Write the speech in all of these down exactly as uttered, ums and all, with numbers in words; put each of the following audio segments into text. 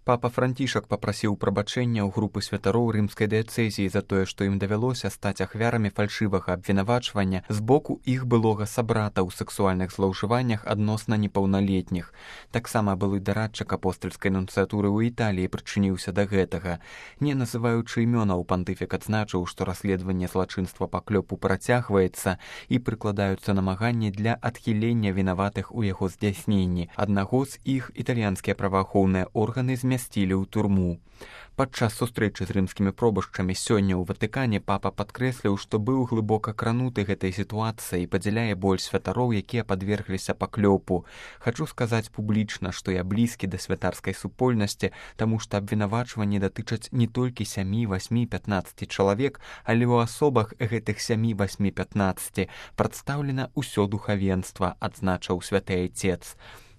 Папа Францішак папрасіў прабачэння ў групы святароў рымскай дыяцэзіі за тое, што ім давялося стаць ахвярамі фальшывага абвінавачвання з боку іх былога сабрата ў сексуальных злоўжываннях адносна непаўналетніх. Таксама былы дарадчык апостальскай нунцыятуры ў Італіі прычыніўся да гэтага. Не называючы імёнаў, пантыфік адзначыў, што расследаванне злачынства паклёпу працягваецца і прыкладаюцца намаганні для адхілення вінаватых у яго здзяйсненні. Аднаго з іх італьянскія праваахоўныя органы змясцілі змясцілі ў турму. Падчас сустрэчы з рымскімі пробашчамі сёння ў Ватыкане папа падкрэсліў, што быў глыбока крануты гэтай сітуацыяй і падзяляе боль святароў, якія падвергліся паклёпу. Хачу сказаць публічна, што я блізкі да святарскай супольнасці, таму што абвінавачванні датычаць не толькі сямі, васьмі, пятнаццаці чалавек, але ў асобах гэтых сямі, васьмі, пятнаццаці прадстаўлена ўсё духавенства, адзначыў святы айцец.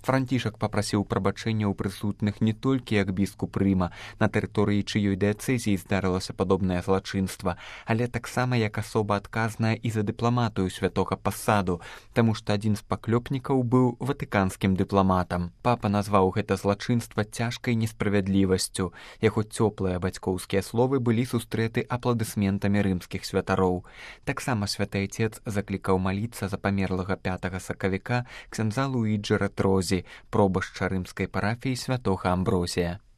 Францішак папрасіў прабачэння ў прысутных не толькі як біскуп Рыма, на тэрыторыі чыёй дыяцэзіі здарылася падобнае злачынства, але таксама як асоба адказная і за дыпламатыю святога пасаду, таму што адзін з паклёпнікаў быў ватыканскім дыпламатам. Папа назваў гэта злачынства цяжкай несправядлівасцю. Яго цёплыя бацькоўскія словы былі сустрэты апладысментамі рымскіх святароў. Таксама святы айцец заклікаў маліцца за памерлага пятага сакавіка ксяндза Луіджы Рэтрозі, пробашча рымскай парафіі святога Амброзія.